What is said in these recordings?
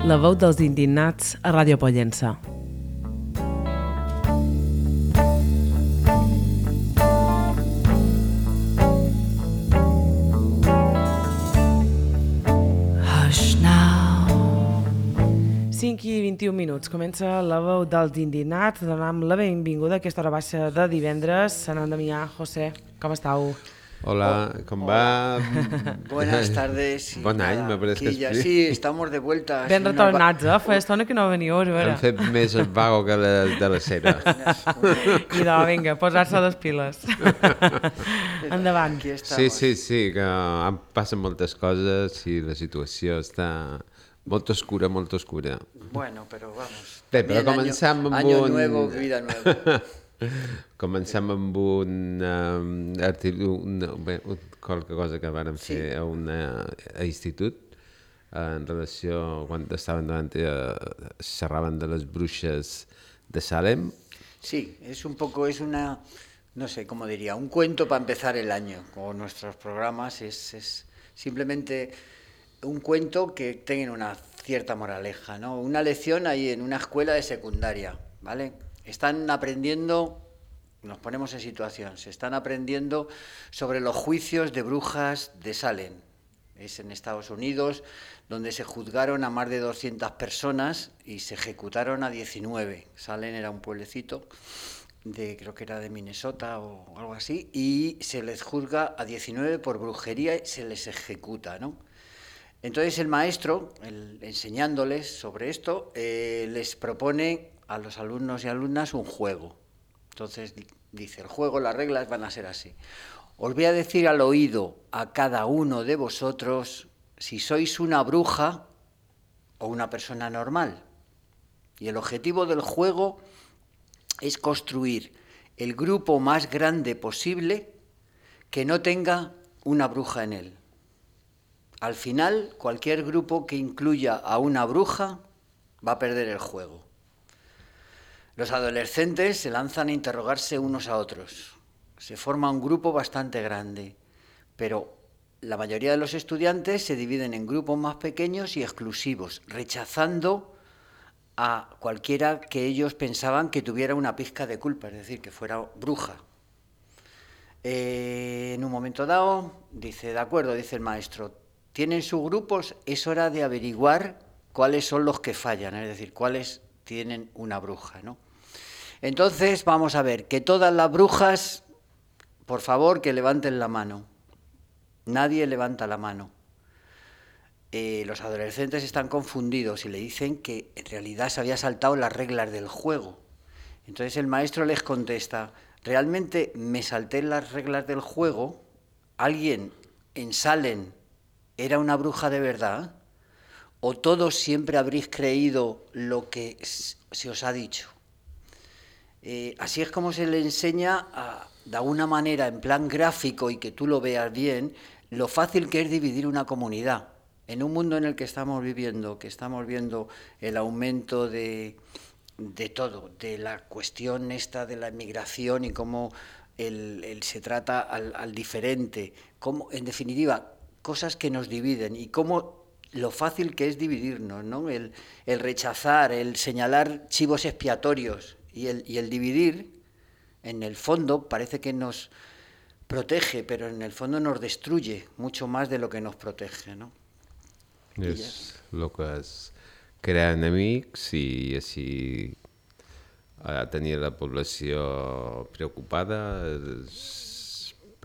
La veu dels indignats a Ràdio Pollença. Hush now. 5 i 21 minuts. Comença la veu dels indignats. Donem la benvinguda a aquesta hora baixa de divendres. Sant Damià, José, com estàu? Hola, ¿cómo va? Buenas tardes. Bon any, me parece que és... Sí, estamos de vuelta. Ben retornats, Fa estona que no veniu, a veure. Hem fet més el vago que de la cera. I de, vinga, posar-se les piles. Endavant. Sí, que passen moltes coses i la situació està molt oscura, molt oscura. Bueno, però vamos. Bé, però comencem amb año nuevo, vida nueva. Comencem amb qualque cosa que vàrem fer a institut en relació quan estaven davant xerraven de les bruixes de Salem. Sí, es una, no sé cómo diría, un cuento para empezar el año con nuestros programas. Es simplemente un cuento que tenga una cierta moraleja, ¿no? Una lección ahí en una escuela de secundaria, ¿vale? Están aprendiendo, nos ponemos en situación, se están aprendiendo sobre los juicios de brujas de Salem. Es en Estados Unidos, donde se juzgaron a más de 200 personas y se ejecutaron a 19. Salem era un pueblecito, creo que era de Minnesota o algo así, y se les juzga a 19 por brujería y se les ejecuta, ¿no? Entonces el maestro, enseñándoles sobre esto, les propone a los alumnos y alumnas un juego. Entonces dice, el juego, las reglas van a ser así. Os voy a decir al oído a cada uno de vosotros si sois una bruja o una persona normal. Y el objetivo del juego es construir el grupo más grande posible que no tenga una bruja en él. Al final, cualquier grupo que incluya a una bruja va a perder el juego. Los adolescentes se lanzan a interrogarse unos a otros. Se forma un grupo bastante grande, pero la mayoría de los estudiantes se dividen en grupos más pequeños y exclusivos, rechazando a cualquiera que ellos pensaban que tuviera una pizca de culpa, es decir, que fuera bruja. En un momento dado, dice, de acuerdo, dice el maestro, tienen sus grupos, es hora de averiguar cuáles son los que fallan, es decir, cuáles tienen una bruja, ¿no? Entonces, vamos a ver, que todas las brujas, por favor, que levanten la mano. Nadie levanta la mano. Los adolescentes están confundidos y le dicen que en realidad se había saltado las reglas del juego. Entonces el maestro les contesta, ¿realmente me salté las reglas del juego? ¿Alguien en Salem era una bruja de verdad? ¿O todos siempre habréis creído lo que se os ha dicho? Así es como se le enseña, de alguna manera, en plan gráfico y que tú lo veas bien, lo fácil que es dividir una comunidad. En un mundo en el que estamos viviendo, que estamos viendo el aumento de todo, de la cuestión esta de la inmigración y cómo se trata al diferente, cómo, en definitiva, cosas que nos dividen y cómo lo fácil que es dividirnos, ¿no? El rechazar, el señalar chivos expiatorios y el dividir, en el fondo parece que nos protege, pero en el fondo nos destruye mucho más de lo que nos protege, ¿no? És el que és crear enemics i així tenir la població preocupada,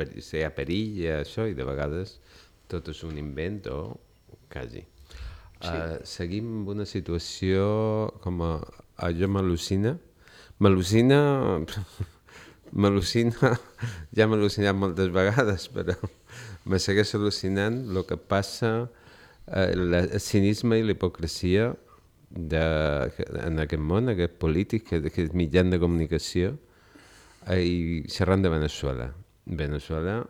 hi ha perill i això, i de vegades tot és un invent o quasi. Sí. Seguim amb una situació com jo m'al·lucina, ja m'ha al·lucinat moltes vegades, però me segueix al·lucinant el que passa, el cinisme i la hipocresia en aquest món, aquest polític, aquest mitjà de comunicació, i xerrant de Veneçuela. Veneçuela,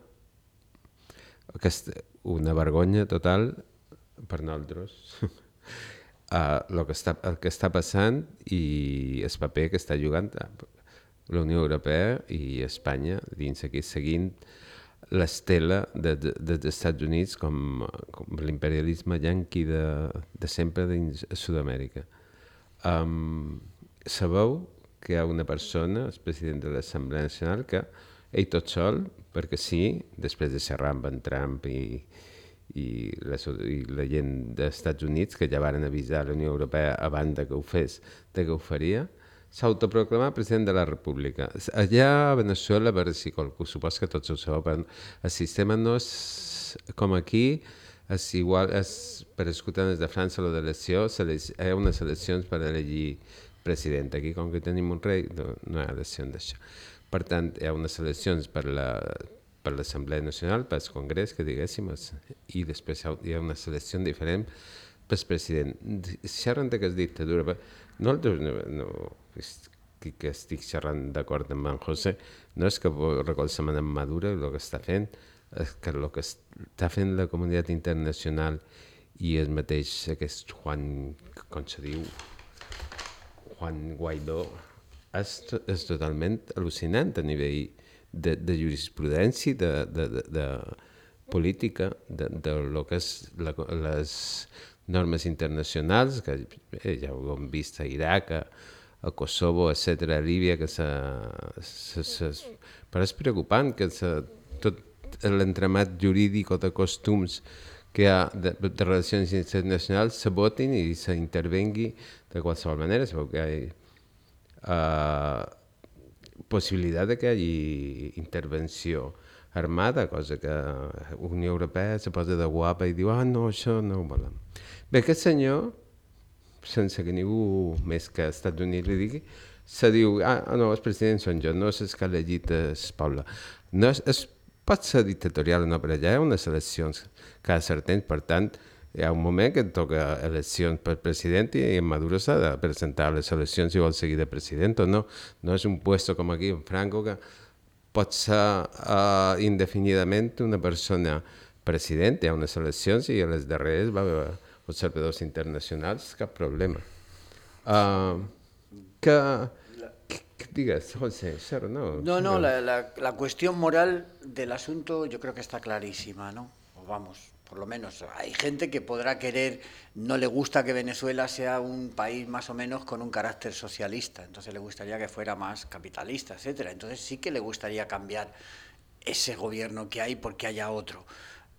una vergonya total per nosaltres. El que està passant i el paper que està jugant la Unió Europea i Espanya dins aquí seguint l'estela dels Estats Units com l'imperialisme yanqui de sempre dins Sud-amèrica. Sabeu que hi ha una persona, el president de l'Assemblea Nacional, que ell tot sol, perquè sí, després de xerrar amb en Trump i la gent dels Estats Units, que ja varen avisar la Unió Europea abans que ho fes, que ho faria, s'autoproclama president de la República. Allà a Venezuela, a veure si qualcú, supos que tots ho sabeu, però el sistema no és com aquí, és igual, per escoltar des de França o d'elecció, hi ha unes eleccions per elegir president. Aquí, com que tenim un rei, no hi ha eleccions d'això. Per tant, hi ha unes eleccions per l'Assemblea Nacional, pel Congrés, que diguéssim, i després hi ha una selecció diferent pel president. Xerren d'aquesta dictadura, no que estic xerrant d'acord amb en José, no és que recolzem en Maduro el que està fent, és que el que està fent la comunitat internacional i el mateix aquest Juan, com se diu, Juan Guaidó, és totalment al·lucinant a nivell de jurisprudència, de política, de lo que és les normes internacionals, que ja ho hem vist a Iraq, a Kosovo, etc., a Líbia, però és preocupant que tot l'entramat jurídic o de costums que hi ha de relacions internacionals se votin i s'intervengui de qualsevol manera. Es veu que hi ha possibilitat de que hi hagi intervenció armada, cosa que la Unió Europea se posa de guapa i diu no, això no ho volem. Bé, aquest senyor, sense que ningú més que als Estats Units li digui, se diu, no, els presidents són jo, no és el que ha elegit el poble. No, pot ser dictatorial o no, però allà hi ha unes eleccions cada cert temps, per tant, hi ha un moment que toca eleccions per president i en Maduro s'ha de presentar a les eleccions si vol seguir de president o no. No és un puesto com aquí en Franco que pot ser indefinidament una persona president, hi ha unes eleccions i a les darreres va haver observadors internacionals, cap problema. Digues, José, no. No, la cuestión moral del asunto yo creo que está clarísima, ¿no? O vamos, por lo menos hay gente que podrá querer, no le gusta que Venezuela sea un país más o menos con un carácter socialista, entonces le gustaría que fuera más capitalista, etcétera. Entonces sí que le gustaría cambiar ese gobierno que hay porque haya otro.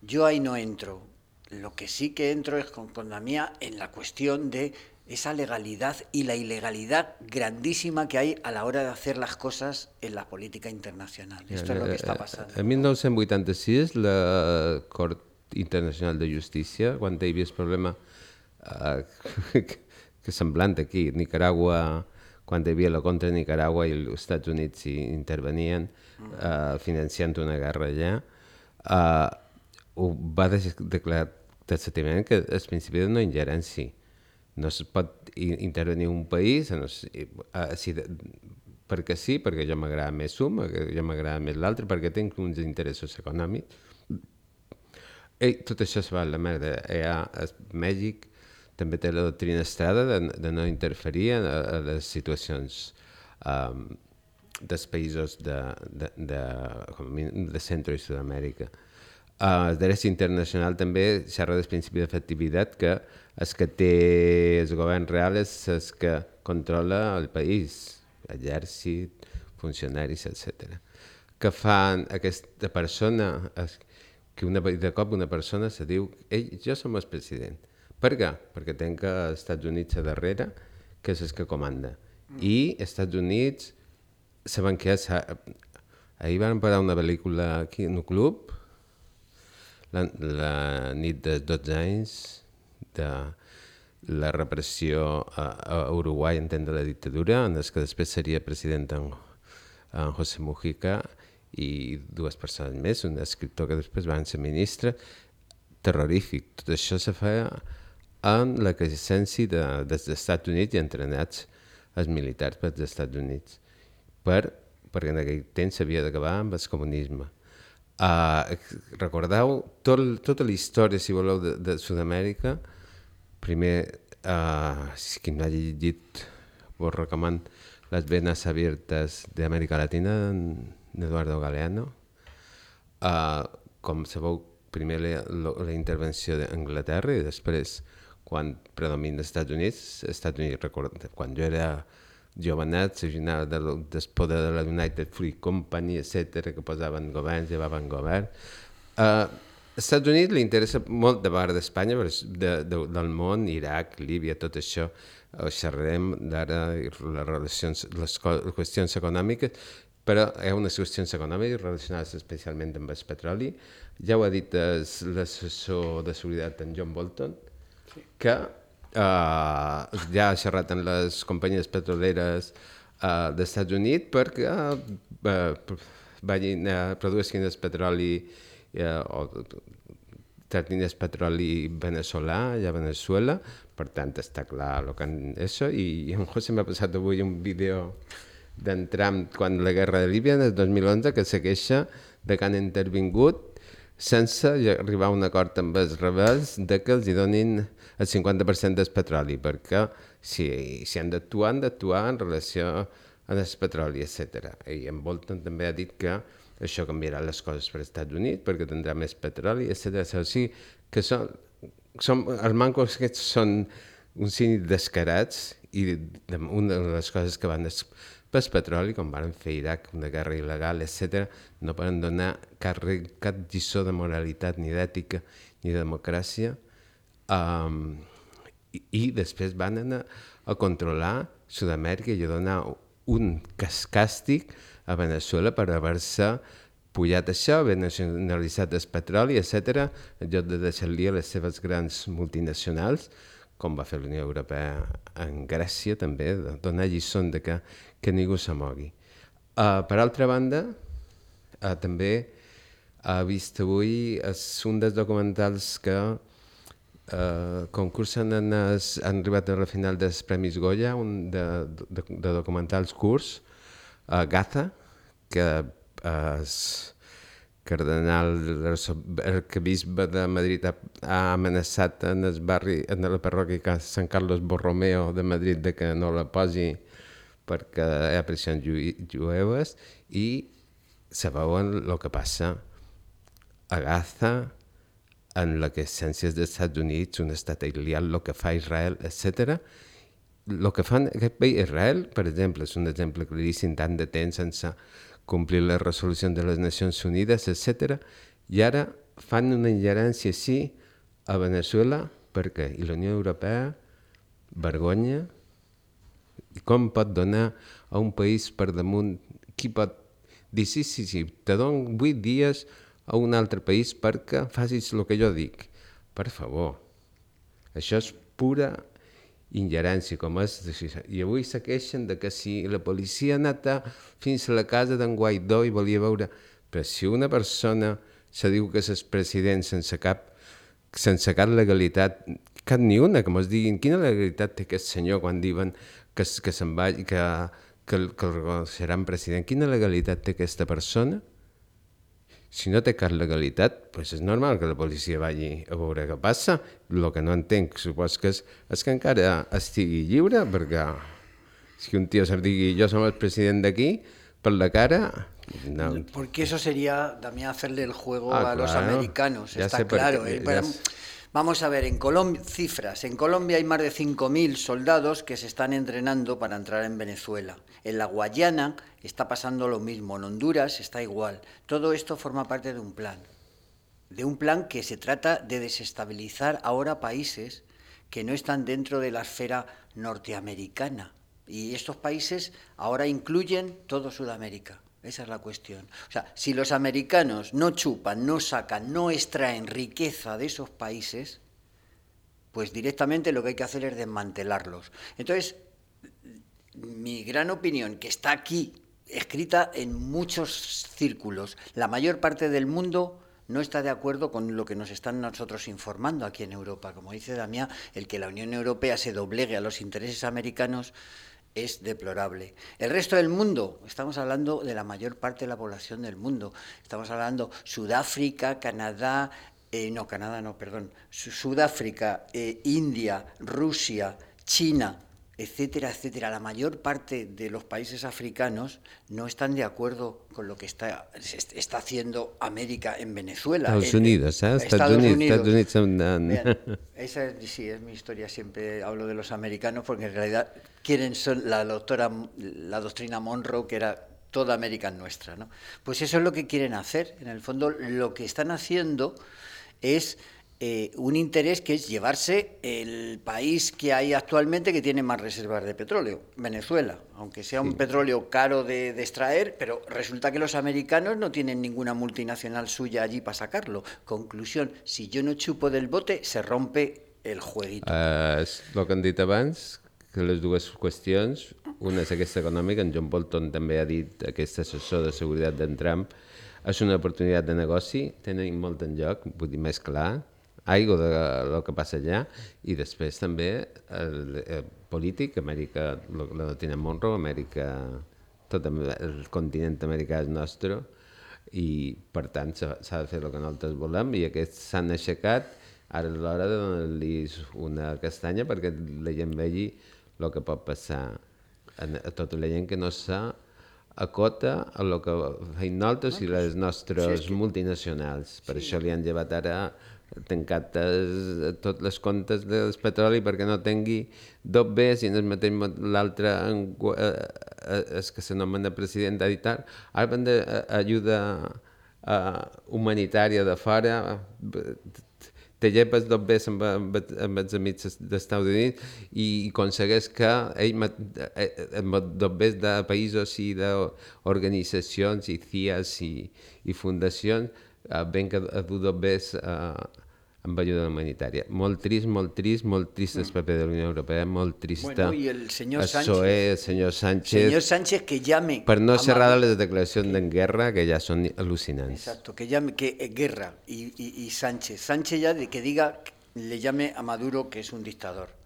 Yo ahí no entro. Lo que sí que entro es con la mía en la cuestión de esa legalidad y la ilegalidad grandísima que hay a la hora de hacer las cosas en la política internacional. Esto es lo que está pasando. En 1986, la Cort Internacional de Justícia, quan hi havia el problema que semblant aquí, Nicaragua, quan hi havia la contra Nicaragua i els Estats Units intervenien financiant una guerra allà, ho va declarar taxativament que el principi de no ingerència. No es pot intervenir un país perquè sí, perquè jo m'agrada més un, perquè jo m'agrada més l'altre, perquè tinc uns interessos econòmics. Tot això es va a la merda. A Mèxic també té la doctrina Estrada de no interferir a les situacions dels països de Centro i Sud-amèrica. El dret internacional també xerra del principi d'efectivitat, que el que té el govern real és el que controla el país, exèrcit, funcionaris, etc. Que fan aquesta persona, que de cop una persona se diu jo som el president. Per què? Perquè tenc els Estats Units a darrere, que és el que comanda. I els Estats Units saben que ahir van parar una pel·lícula aquí en un club, la nit dels 12 anys de la repressió a Uruguai en temps de la dictadura, en què després seria president en José Mujica i dues persones més, un escriptor que després va ser ministre, terrorífic. Tot això se feia en la presència dels Estats Units i entrenats els militars pels Estats Units, perquè en aquell temps s'havia d'acabar amb el comunisme. Recordeu tota la història, si voleu, de Sud-amèrica. Primer, si qui no hagi llegit, vos recomano Las venas abiertas de América Latina, d'Eduardo Galeano. com sabeu, primer la intervenció d'Anglaterra i després, quan predomina els Estats Units, recorda, quan jo era jovenet, s'originava del poder de la United Free Company, etc., que posaven governs, llevaven govern. Als Estats Units li interessa molt de part d'Espanya, del món, Iraq, Líbia, tot això. Xerrarem d'ara les qüestions econòmiques, però hi ha unes qüestions econòmiques relacionades especialment amb el petroli. Ja ho ha dit l'assessor de seguretat, en John Bolton, que ja ha xerrat amb les companyies petroleres dels Estats Units perquè produeixin el petroli o tractin el petroli veneçolà a Venezuela. Per tant, està clar el que això. I en José m'ha passat avui un vídeo d'en Trump quan la guerra de Líbia, en el 2011, que segueixa de que han intervingut sense arribar a un acord amb els rebels de que els donin el 50% del petroli, perquè si han d'actuar en relació amb el petroli, etc. I en Bolton també ha dit que això canviarà les coses per als Estats Units perquè tindrà més petroli, etc. O sigui que els mancos aquests són uns cínics descarats i una de les coses que van pel petroli, com van fer Iraq, una guerra il·legal, etc., no poden donar cap lliçó de moralitat, ni d'ètica, ni de democràcia, i després van anar a controlar Sud-amèrica i a donar un càstig a Veneçuela per haver-se pujat això, haver nacionalitzat el petroli, etc., en lloc de deixar-li a les seves grans multinacionals, com va fer la Unió Europea en Grècia també, donar lliçons de que ningú s'amogui. Per altra banda, també he vist avui un dels documentals que concursen han arribat a la final dels Premis Goya, un de documentals curts, Gaza, que és cardenal, l'arquebisbe de Madrid ha amenaçat en el barri, en la parròquia Sant Carlos Borromeo de Madrid de que no la posi perquè hi ha pressions jueves, i sabeu el que passa a Gaza, en la que essències dels Estats Units, un estat aïllat, el que fa Israel, etc. El que fan aquest país, Israel, per exemple, és un exemple claríssim, tant de temps sense complir les resolucions de les Nacions Unides, etc. I ara fan una ingerència així a Veneçuela, per què? I la Unió Europea, vergonya. I com pot donar a un país per damunt, qui pot dir sí, te dono 8 dies a un altre país perquè facis el que jo dic? Per favor, això és pura ingerència, com és. I avui se queixen de que si la policia ha anat fins a la casa d'en Guaidó i volia veure. Però si una persona se diu que és president sense cap legalitat, cap ni una, que mos diguin quina legalitat té aquest senyor quan diuen que se'n va, que el reconeixeran president, quina legalitat té aquesta persona? Si no té cap legalitat, doncs és normal que la policia vagi a veure què passa. El que no entenc, supos que és que encara estigui lliure, perquè si un tio se'n digui jo som el president d'aquí, per la cara... No. Porque eso sería también hacerle el juego a los americanos, ya está claro. Vamos a ver, cifras. En Colombia hay más de 5.000 soldados que se están entrenando para entrar en Venezuela. En la Guayana está pasando lo mismo, en Honduras está igual. Todo esto forma parte de un plan que se trata de desestabilizar ahora países que no están dentro de la esfera norteamericana. Y estos países ahora incluyen todo Sudamérica. Esa es la cuestión. O sea, si los americanos no chupan, no sacan, no extraen riqueza de esos países, pues directamente lo que hay que hacer es desmantelarlos. Entonces, mi gran opinión, que está aquí escrita en muchos círculos, la mayor parte del mundo no está de acuerdo con lo que nos están nosotros informando aquí en Europa. Como dice Damián, el que la Unión Europea se doblegue a los intereses americanos es deplorable. El resto del mundo, estamos hablando de la mayor parte de la población del mundo, estamos hablando Sudáfrica, Sudáfrica, India, Rusia, China, etcétera, etcétera. La mayor parte de los países africanos no están de acuerdo con lo que está haciendo América en Venezuela. Estados Unidos, ¿eh? Estados Unidos. Estados Unidos son... Bien, sí, es mi historia, siempre hablo de los americanos porque en realidad son la doctrina Monroe, que era toda América nuestra, ¿no? Pues eso es lo que quieren hacer. En el fondo, lo que están haciendo es un interés que es llevarse el país que hay actualmente que tiene más reservas de petróleo, Venezuela, aunque sea un petróleo caro de extraer, pero resulta que los americanos no tienen ninguna multinacional suya allí para sacarlo. Conclusión, si yo no chupo del bote, se rompe el jueguito. És el que han dit abans, que les dues qüestions, una és aquesta econòmica, en John Bolton també ha dit, aquest assessor de seguretat d'en Trump, és una oportunitat de negoci, tenen molt en joc, vull dir, més clar, aigua del que passa allà, i després també el polític, Amèrica, la doctrina Monroe, Amèrica, tot el continent americà és nostre, i per tant s'ha de fer el que nosaltres volem, i aquests s'han aixecat, ara és l'hora de donar-los una castanya perquè la gent vegi el que pot passar a tota la gent que no s'acota a el que feim nosaltres i les nostres multinacionals. Per això li han llevat ara tancat tots els comptes del petroli perquè no tingui dos Bs i en el mateix l'altre és que s'anomena president ha dit ara van d'ajuda humanitària de fora, te llepes dos Bs amb els amics dels Estats Units i aconsegueix que ell amb dos Bs de països i d'organitzacions i CIAs i fundacions venga a dur dos Bs amb ajuda humanitària. Molt trist el paper de la Unió Europea, molt trist. Bueno, y el señor Sánchez. Señor Sánchez que llame... Per no cerrar les declaracions de guerra, que ja són al·lucinants. Exacto, que llame, guerra y Sánchez. Sánchez ya que diga, le llame a Maduro que es un dictador.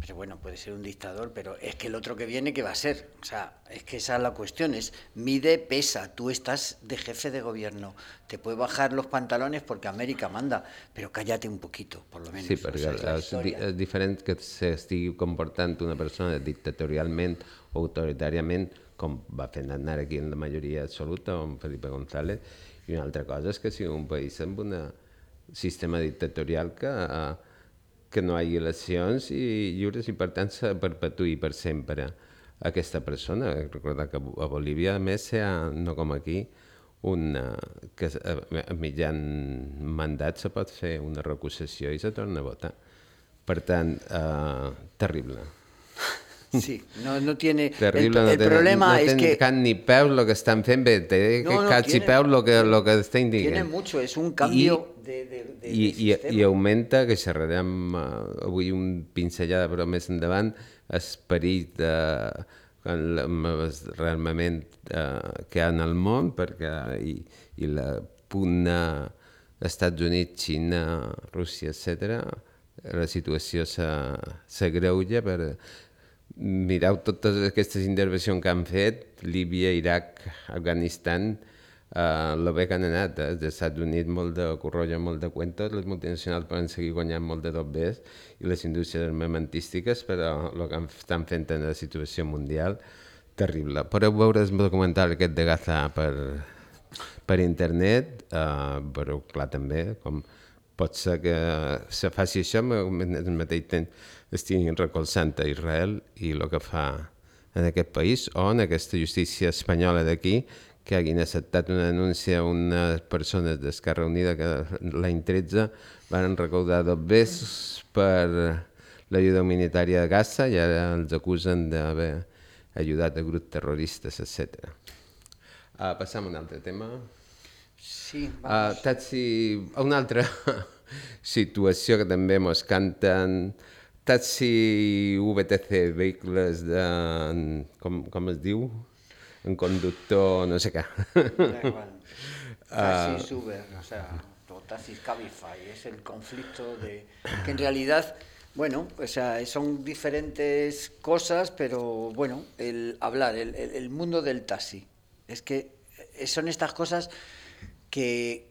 Pero bueno, puede ser un dictador, pero es que el otro que viene, ¿qué va a ser? O sea, es que esa es la cuestión, mide, pesa, tú estás de jefe de gobierno, te puedes bajar los pantalones porque América manda, però cállate un poquito, por lo menos. Sí, perquè és diferent que s'estigui comportant una persona dictatorialment o autoritàriament, com va fent anar aquí en la majoria absoluta, amb Felipe González, i una altra cosa és que sigui un país amb un sistema dictatorial que no hi hagi eleccions i lliures i per tant se perpetuï per sempre aquesta persona. Recordar que a Bolívia, a més, no com aquí, que a mitjan mandat se pot fer una recusació i se torna a votar. Per tant, terrible. Sí, no tiene... Terrible, el problema es que... No tenen ni peus lo que estan fent bé, té cats i peus lo que estan dient. Tiene mucho, es un cambio de sistema. I augmenta, que xerrarem avui un pinzellada però més endavant, esperit rearmament que hi ha en el món, perquè i la pugna Estats Units, Xina, Rússia, etc. La situació s'agreuja per... Mireu totes aquestes intervencions que han fet, Líbia, Iraq, Afganistan, la bé que han anat, els Estats Units molt de corrolla, molt de cuentos, les multinacionals poden seguir guanyant molt de dobbers i les indústries armamentístiques, però el que estan fent en la situació mundial, terrible. Podeu veure el documental aquest de Gaza per internet, però clar també, com pot ser que se faci això, al mateix temps estiguin recolzant a Israel i el que fa en aquest país, o en aquesta justícia espanyola d'aquí, que hagin acceptat una denúncia a unes persones d'Esquerra Unida que l'any 13 van recaudar dobbers per l'ajuda humanitària de Gaza i ara els acusen d'haver ajudat a grups terroristes, etc. Passam a un altre tema. Sí, vamos. Una altra situació que també mos canten, taxi VTC, vehicles de... com es diu? En conductor, no sé què. Taxis Uber, o sea, o taxis Cabify, es el conflicto de... que en realidad, bueno, o sea, son diferentes cosas, pero bueno, el mundo del taxi, es que son estas cosas que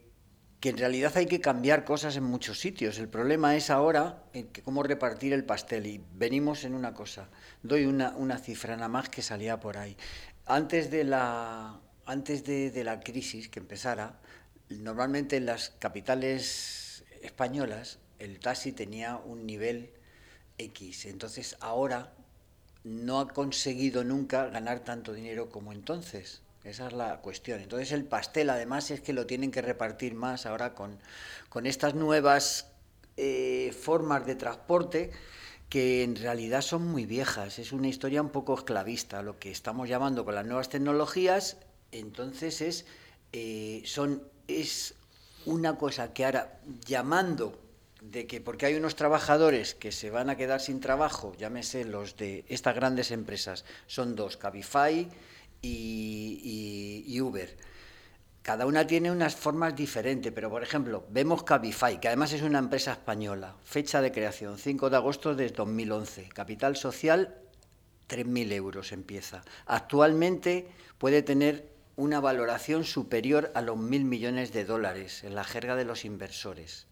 que en realidad hay que cambiar cosas en muchos sitios. El problema es ahora cómo repartir el pastel. Y venimos en una cosa. Doy una cifra nada más que salía por ahí. Antes de la crisis que empezara, normalmente en las capitales españolas el taxi tenía un nivel X. Entonces ahora no ha conseguido nunca ganar tanto dinero como entonces. Esa es la cuestión. Entonces el pastel además es que lo tienen que repartir más ahora con estas nuevas formas de transporte que en realidad son muy viejas. Es una historia un poco esclavista, lo que estamos llamando con las nuevas tecnologías. Entonces es una cosa que ahora, llamando de que porque hay unos trabajadores que se van a quedar sin trabajo, llámese los de estas grandes empresas, son dos, Cabify y Uber. Cada una tiene unas formas diferentes, pero por ejemplo, vemos Cabify, que además es una empresa española, fecha de creación, 5 de agosto de 2011, capital social 3.000 euros empieza. Actualmente puede tener una valoración superior a los 1.000 millones de dólares en la jerga de los inversores.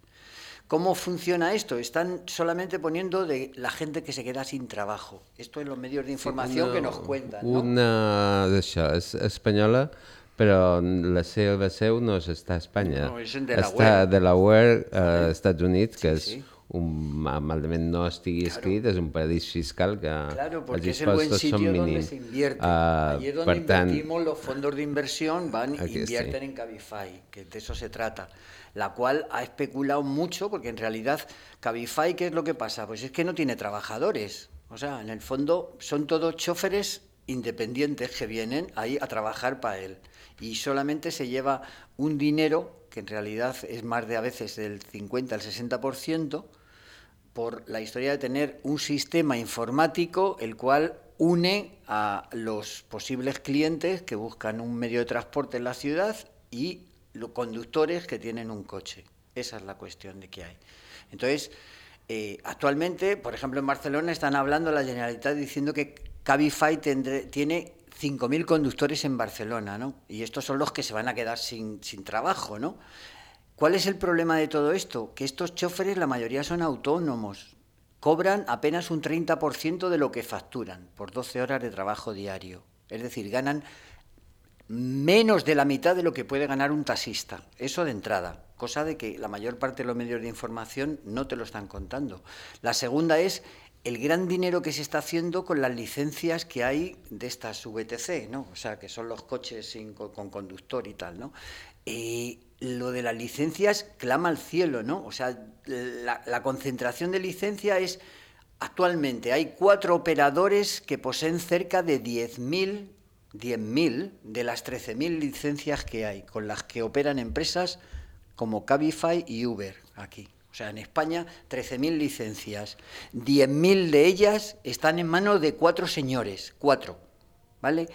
¿Cómo funciona esto? Están solamente poniendo de la gente que se queda sin trabajo. Esto en los medios de información que nos cuentan, ¿no? Una d'això, és espanyola, però la seva seu no està a Espanya. No, és en Delaware. Està a Delaware, Estats Units, que Sí, és malament no estigui escrit, és un paradís fiscal que porque els es el buen impostos són sitio donde mínims. se invierte. Allí es donde Per tant, invertimos, los fondos de inversión van Aquí invierten en Cabify, que de eso se trata. La cual ha especulado mucho, porque en realidad Cabify, ¿qué es lo que pasa? Pues es que no tiene trabajadores. O sea, en el fondo son todos choferes independientes que vienen ahí a trabajar para él. Y solamente se lleva un dinero, que en realidad es más de a veces del 50 al 60%, por la historia de tener un sistema informático el cual une a los posibles clientes que buscan un medio de transporte en la ciudad y los conductores que tienen un coche. Esa es la cuestión de que hay. Entonces, actualmente, por ejemplo, en Barcelona están hablando la Generalitat diciendo que Cabify tiene 5.000 conductores en Barcelona, ¿no? Y estos son los que se van a quedar sin trabajo, ¿no? ¿Cuál es el problema de todo esto? Que estos choferes, la mayoría son autónomos, cobran apenas un 30% de lo que facturan por 12 horas de trabajo diario. Es decir, ganan menos de la mitad de lo que puede ganar un taxista. Eso de entrada, cosa de que la mayor parte de los medios de información no te lo están contando. La segunda es el gran dinero que se está haciendo con las licencias que hay de estas VTC, ¿no? O sea, que son los coches con conductor y tal, ¿no? Lo de las licencias clama al cielo, ¿no? O sea, la concentración de licencia es... Actualmente hay 4 operadores que poseen cerca de 10.000 de las 13.000 licencias que hay, con las que operan empresas como Cabify y Uber aquí. O sea, en España 13.000 licencias, 10.000 de ellas están en manos de 4 señores, 4, ¿vale?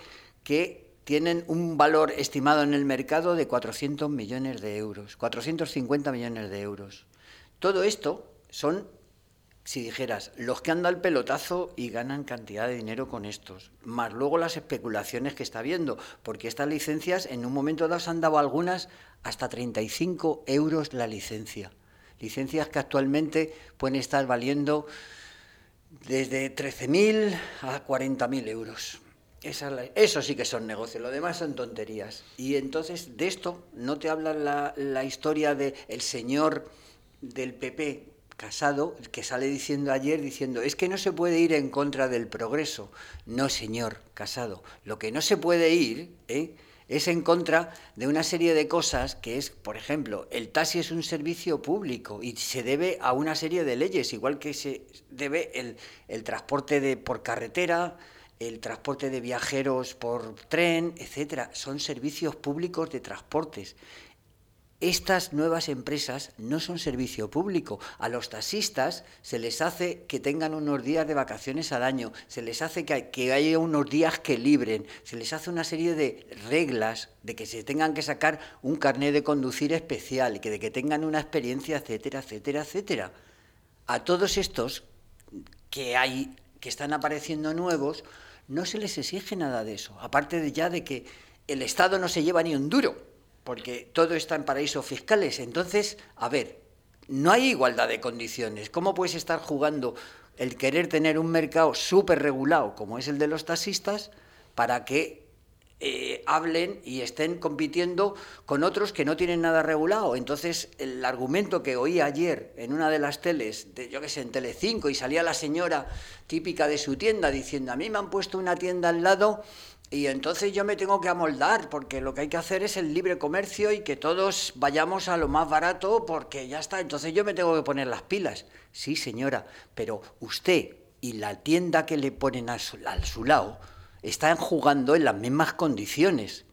Que tienen un valor estimado en el mercado de 400 millones de euros, 450 millones de euros. Todo esto son, si dijeras, los que han dado el pelotazo y ganan cantidad de dinero con estos, más luego las especulaciones que está habiendo, porque estas licencias en un momento dado se han dado algunas hasta 35 euros la licencia. Licencias que actualmente pueden estar valiendo desde 13.000 a 40.000 euros. Eso sí que son negocios, lo demás son tonterías. Y entonces de esto no te habla la historia del señor del PP, Casado, que sale diciendo ayer, es que no se puede ir en contra del progreso. No, señor Casado, lo que no se puede ir es en contra de una serie de cosas que es, por ejemplo, el taxi es un servicio público y se debe a una serie de leyes, igual que se debe el transporte por carretera, el transporte de viajeros por tren, etcétera. Son servicios públicos de transportes. Estas nuevas empresas no son servicio público. A los taxistas se les hace que tengan unos días de vacaciones al año, se les hace que haya unos días que libren, se les hace una serie de reglas de que se tengan que sacar un carnet de conducir especial, de que tengan una experiencia, etcétera, etcétera, etcétera. A todos estos que están apareciendo nuevos, no se les exige nada de eso, aparte de que el Estado no se lleva ni un duro, porque todo está en paraísos fiscales. Entonces, a ver, no hay igualdad de condiciones. ¿Cómo puedes estar jugando el querer tener un mercado súper regulado como es el de los taxistas para que hablen y estén compitiendo con otros que no tienen nada regulado? Entonces, el argumento que oí ayer en una de las teles, yo qué sé, en Telecinco, y salía la señora típica de su tienda diciendo: a mí me han puesto una tienda al lado y entonces yo me tengo que amoldar, porque lo que hay que hacer es el libre comercio y que todos vayamos a lo más barato, porque ya está, entonces yo me tengo que poner las pilas. Sí, señora, pero usted y la tienda que le ponen a su lado están jugando en las mismas condiciones.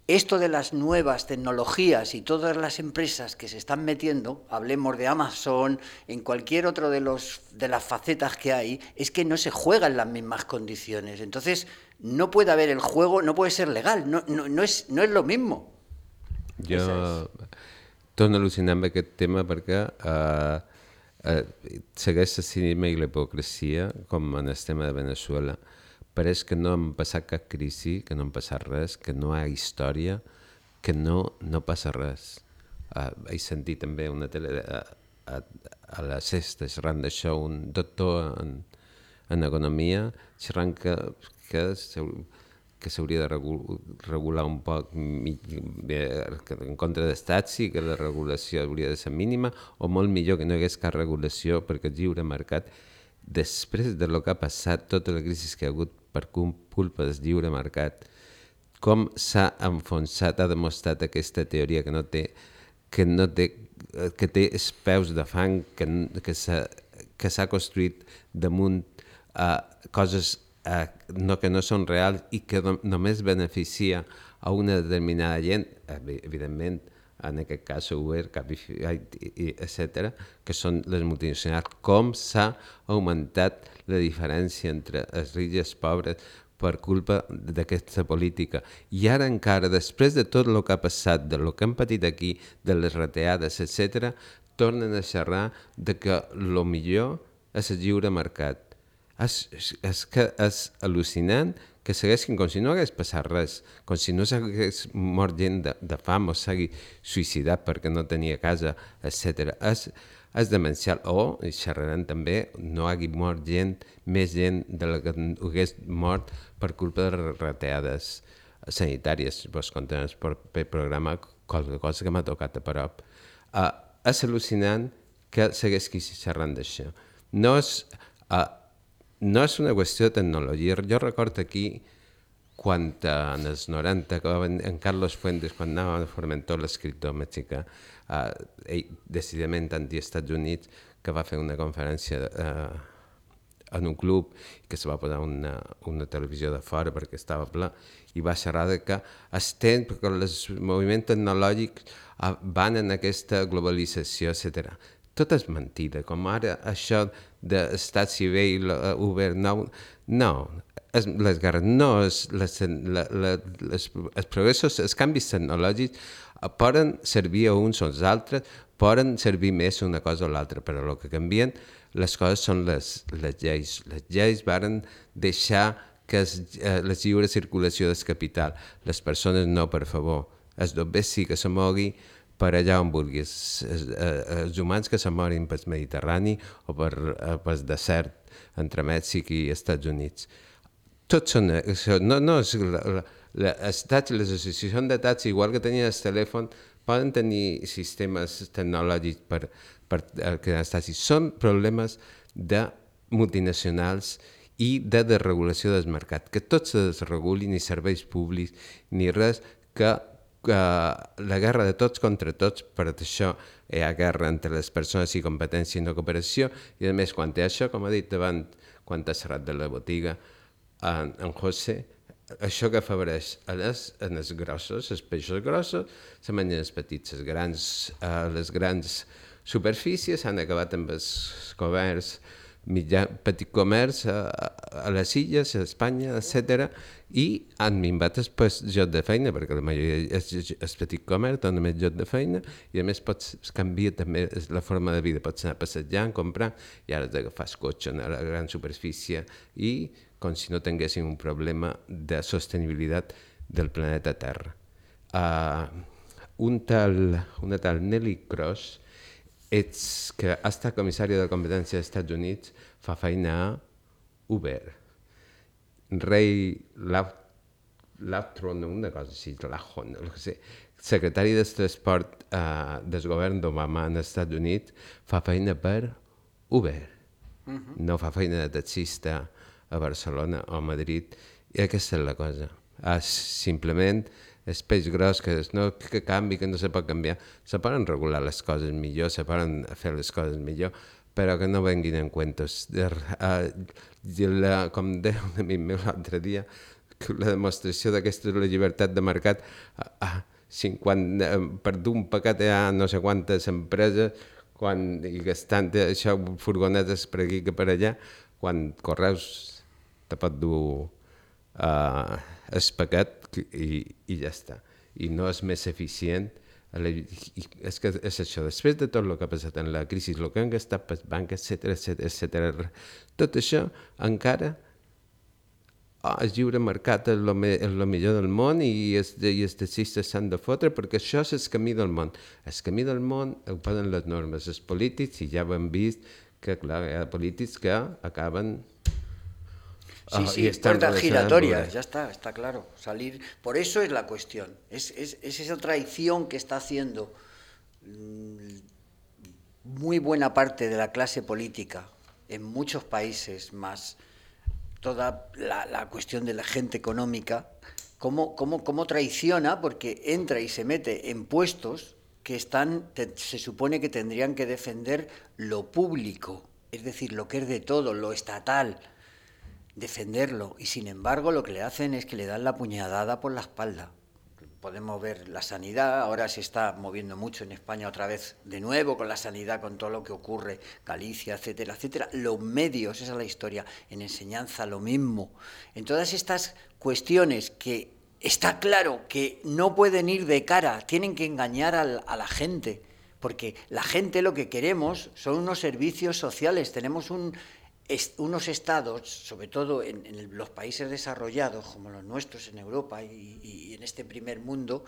Esto de las nuevas tecnologías y todas las empresas que se están metiendo, hablemos de Amazon, en cualquier otro de las facetas que hay, es que no se juega en las mismas condiciones. Entonces, no puede haber el juego, no puede ser legal, no es lo mismo. Jo torno a al·lucinar amb aquest tema perquè segueix el cinisme i la hipocresia, com en el tema de Venezuela. Pareix que no hem passat cap crisi, que no hem passat res, que no hi ha història, que no passa res. He sentit també una tele a la sexta xerrant d'això, un doctor en economia xerrant que s'hauria de regular un poc en contra dels taxis, que la regulació hauria de ser mínima, o molt millor que no hi hagués cap regulació, perquè el lliure mercat, després del que ha passat, tota la crisi que hi ha hagut per culpa del lliure mercat, com s'ha enfonsat, ha demostrat aquesta teoria que té els peus de fang, que s'ha construït damunt coses que no són reals i que només beneficia a una determinada gent, evidentment, en aquest cas Uber, Cabify, etc., que són les multinacionals. Com s'ha augmentat la diferència entre els rics i els pobres per culpa d'aquesta política. I ara encara, després de tot el que ha passat, del que hem patit aquí, de les reteades, etc., tornen a xerrar de que el millor és el lliure mercat. És al·lucinant que segueixin com si no hagués passat res, com si no s'hagués mort gent de fam o s'hagi suïcidat perquè no tenia casa, etc. És demencial. O, xerraran també, no hagi mort més gent de la que hagués mort per culpa de reteades sanitàries. Vos contaré per programa qualque cosa que m'ha tocat a prop. És al·lucinant que segueixi xerrant d'això. No és una qüestió de tecnologia. Jo recordo aquí, quan en els 90, que va venir en Carlos Fuentes, quan anava a Formentor, l'escriptor mexicà, ell decididament anti-Estats Units, que va fer una conferència en un club, que se va posar una televisió de fora perquè estava ple, i va xerrar que els moviments tecnològics van en aquesta globalització, etc. Tot és mentida, com ara això d'estat civil, Uber, no, les guerres, no, els progressos, els canvis tecnològics poden servir a uns o als altres, poden servir més una cosa o l'altra, però el que canvien les coses són les lleis. Les lleis varen deixar que la lliure circulació del capital, les persones no, per favor, els dobbers sí que se mogui per allà on vulguis, els humans que se morin pel Mediterrani o pel desert entre Mèxic i Estats Units. Tots són això. Els taxis, les associacions de taxis, igual que tenien el telèfon, poden tenir sistemes tecnològics per crear els taxis. Són problemes de multinacionals i de desregulació del mercat, que tot se desreguli, ni serveis públics, ni res, que la guerra de tots contra tots, per això hi ha guerra entre les persones i competència i no cooperació, i a més, quan té això, com ha dit abans, quan ha xerrat de la botiga, en José, això que afavoreix en els grossos, els peixos grossos, se mengen els petits, les grans superfícies han acabat amb els comerç, petit comerç a les illes, a Espanya, etc. I han minvat el lloc de feina, perquè la majoria és petit comerç, dona més lloc de feina, i a més canvia també la forma de vida, pots anar passejant, comprar, i ara has d'agafar el cotxe a la gran superfície, i com si no tinguéssim un problema de sostenibilitat del planeta Terra. una tal Nelly Cross, que ha estat comissària de competència dels Estats Units, fa feina a Uber. Ray Lafton, una cosa així, Lahon, no sé, secretari del transport del govern d'Obama als Estats Units, fa feina per Uber. No fa feina de taxista a Barcelona o a Madrid, i aquesta és la cosa. Simplement és peix gros que canvi, que no se pot canviar. Se poden regular les coses millor, se poden fer les coses millor, però que no venguin en cuentos. Com deia un amic meu l'altre dia, que la demostració d'aquesta és la llibertat de mercat. Per d'un paquet hi ha no sé quantes empreses i gastant això, furgonetes per aquí que per allà, quan Correus te pot dur el paquet i ja està. I no és més eficient. És que és això, després de tot el que ha passat en la crisi, el que han gastat pel banc, etc., tot això encara el lliure mercat és el millor del món i els taxistes s'han de fotre perquè això és el camí del món. El camí del món ho posen les normes, els polítics, i ja ho hem vist que clar, hi ha polítics que acaben... Sí, puertas giratorias, ya está claro. Salir, por eso es la cuestión. Es esa traición que está haciendo muy buena parte de la clase política en muchos países, más toda la cuestión de la gente económica, cómo traiciona, porque entra y se mete en puestos que se supone que tendrían que defender lo público, es decir, lo que es de todo, lo estatal, defenderlo, y sin embargo lo que le hacen es que le dan la puñalada por la espalda. Podemos ver la sanidad, ahora se está moviendo mucho en España otra vez de nuevo con la sanidad, con todo lo que ocurre, Galicia, etcétera, etcétera. Los medios, esa es la historia, en enseñanza lo mismo. En todas estas cuestiones que está claro que no pueden ir de cara, tienen que engañar a la gente, porque la gente lo que queremos son unos servicios sociales, tenemos unos estados, sobre todo en los países desarrollados, como los nuestros en Europa y en este primer mundo,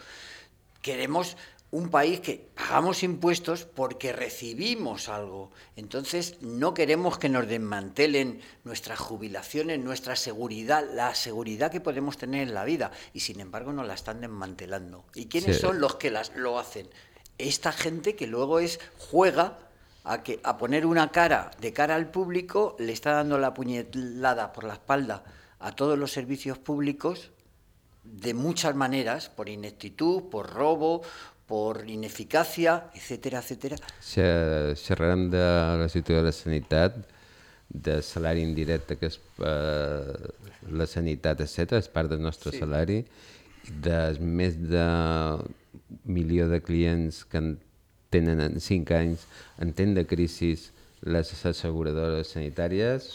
queremos un país que pagamos impuestos porque recibimos algo. Entonces no queremos que nos desmantelen nuestras jubilaciones, nuestra seguridad, la seguridad que podemos tener en la vida, y sin embargo nos la están desmantelando. ¿Y quiénes son los que lo hacen? Esta gente que luego juega a poner una cara de cara al público, le está dando la puñalada por la espalda a todos los servicios públicos de muchas maneras, por ineptitud, por robo, por ineficacia, etcétera, etcétera. Xerrarem de la situació de la sanitat, del salari indirecte que és la sanitat, etc., és part del nostre salari, de més de 1 milió de clients que tenen en 5 anys en temps de crisi les asseguradores sanitàries,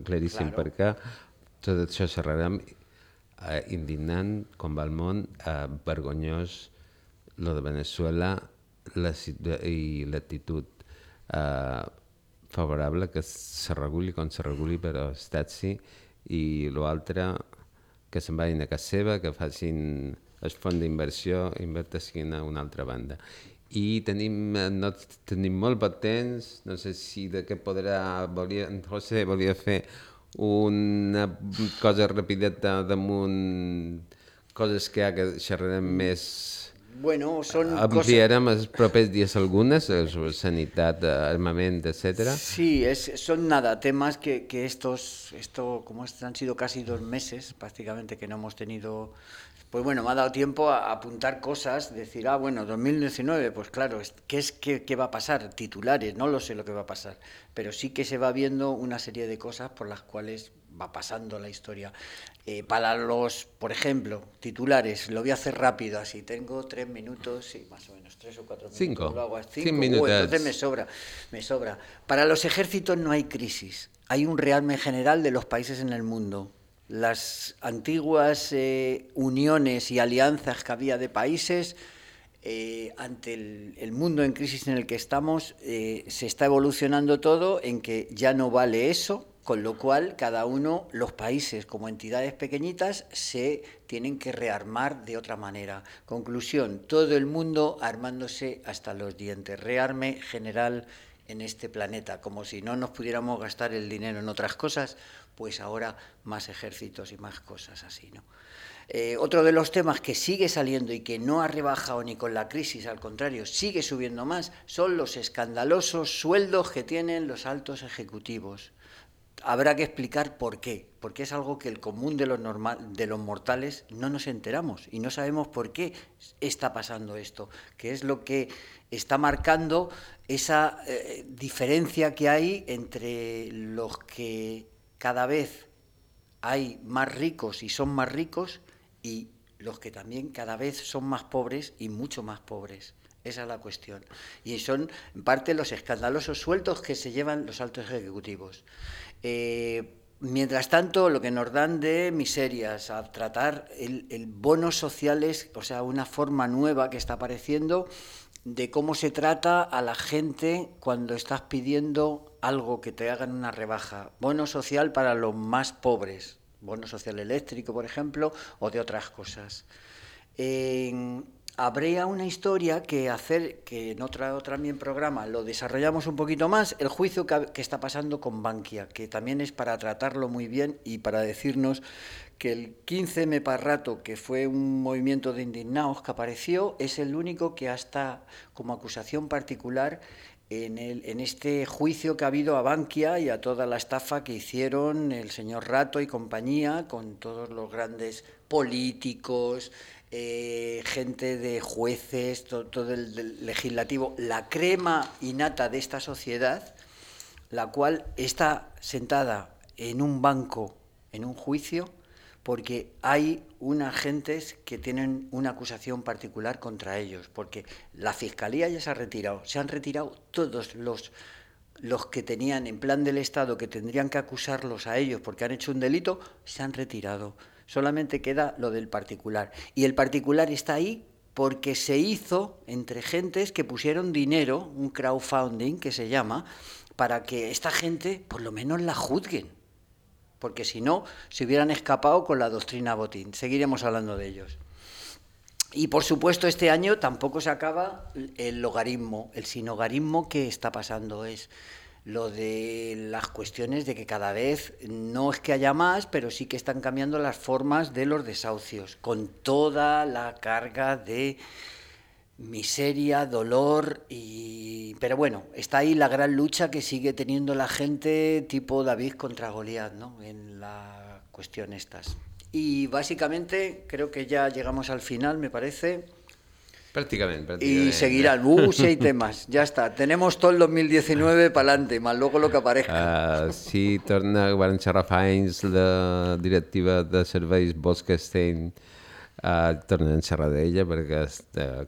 claríssim, perquè tot això xerrarem, indignant com va el món, vergonyós lo de Venezuela i l'actitud favorable que se reguli com se reguli, però estat sí, i l'altre que se'n vagin a casa seva, que facin el fons d'inversió, invertissin a una altra banda. I no tenim molt poc temps, no sé si de què José volia fer una cosa rapideta damunt coses que xerrarem més. Bueno, ampliarem els propers dies algunes, sanitat, armament, etc. Sí, son temas que como han sido casi 2 meses prácticamente que no hemos tenido, pues bueno, me ha dado tiempo a apuntar cosas, decir, 2019, pues claro, ¿qué va a pasar? Titulares, no lo sé lo que va a pasar, pero sí que se va viendo una serie de cosas por las cuales va pasando la historia. Para los, por ejemplo, titulares, lo voy a hacer rápido, así tengo 3 minutos, sí, más o menos, 3 o 4 minutos. 5. Lo hago a 5 minutos. Entonces me sobra. Para los ejércitos no hay crisis, hay un rearme general de los países en el mundo. Las antiguas uniones y alianzas que había de países, ante el mundo en crisis en el que estamos, se está evolucionando todo en que ya no vale eso, Con lo cual, cada uno, los países como entidades pequeñitas, se tienen que rearmar de otra manera. Conclusión, todo el mundo armándose hasta los dientes. Rearme general en este planeta, como si no nos pudiéramos gastar el dinero en otras cosas, pues ahora más ejércitos y más cosas así, ¿no? Otro de los temas que sigue saliendo y que no ha rebajado ni con la crisis, al contrario, sigue subiendo más, son los escandalosos sueldos que tienen los altos ejecutivos. Habrá que explicar por qué, porque es algo que el común de los mortales no nos enteramos y no sabemos por qué está pasando esto, que es lo que está marcando esa diferencia que hay entre los que cada vez hay más ricos y son más ricos y los que también cada vez son más pobres y mucho más pobres. Esa es la cuestión. Y son, en parte, los escandalosos sueldos que se llevan los altos ejecutivos. Mientras tanto, lo que nos dan de miserias, a tratar el bonos sociales, o sea, una forma nueva que está apareciendo de cómo se trata a la gente cuando estás pidiendo algo, que te hagan una rebaja. Bono social para los más pobres, bono social eléctrico, por ejemplo, o de otras cosas. Habría una historia que hacer, que en otro también programa lo desarrollamos un poquito más, el juicio que está pasando con Bankia, que también es para tratarlo muy bien y para decirnos que el 15M para rato, que fue un movimiento de indignados que apareció, es el único que hasta como acusación particular en este juicio que ha habido a Bankia y a toda la estafa que hicieron el señor Rato y compañía con todos los grandes políticos, gente de jueces, todo el legislativo, la crema innata de esta sociedad, la cual está sentada en un banco, en un juicio, porque hay unas gentes que tienen una acusación particular contra ellos, porque la Fiscalía ya se ha retirado, se han retirado todos los que tenían en plan del Estado, que tendrían que acusarlos a ellos porque han hecho un delito, se han retirado. Solamente queda lo del particular. Y el particular está ahí porque se hizo entre gentes que pusieron dinero, un crowdfunding que se llama, para que esta gente por lo menos la juzguen. Porque si no, se hubieran escapado con la doctrina Botín. Seguiremos hablando de ellos. Y por supuesto este año tampoco se acaba el logaritmo, el sinogarismo que está pasando es lo de las cuestiones de que cada vez no es que haya más, pero sí que están cambiando las formas de los desahucios, con toda la carga de miseria, dolor pero bueno, está ahí la gran lucha que sigue teniendo la gente tipo David contra Goliat, ¿no? En la cuestión estas. Y básicamente creo que ya llegamos al final, me parece. Pràcticament. Y seguirá el bus y temas. Ya está. Tenemos todo el 2019 para adelante, más luego lo que aparezca. Sí, van xerrar fa anys la directiva de serveis Bolkestein, tornen a xerrar d'ella perquè ha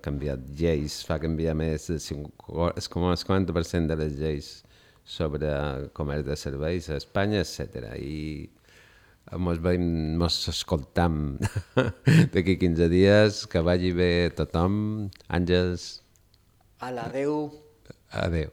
canviat lleis, fa canviar més del 50% de les lleis sobre comerç de serveis a Espanya, etc. I mos escoltam d'aquí 15 dies, que vagi bé tothom. Àngels. Adeu. Adeu.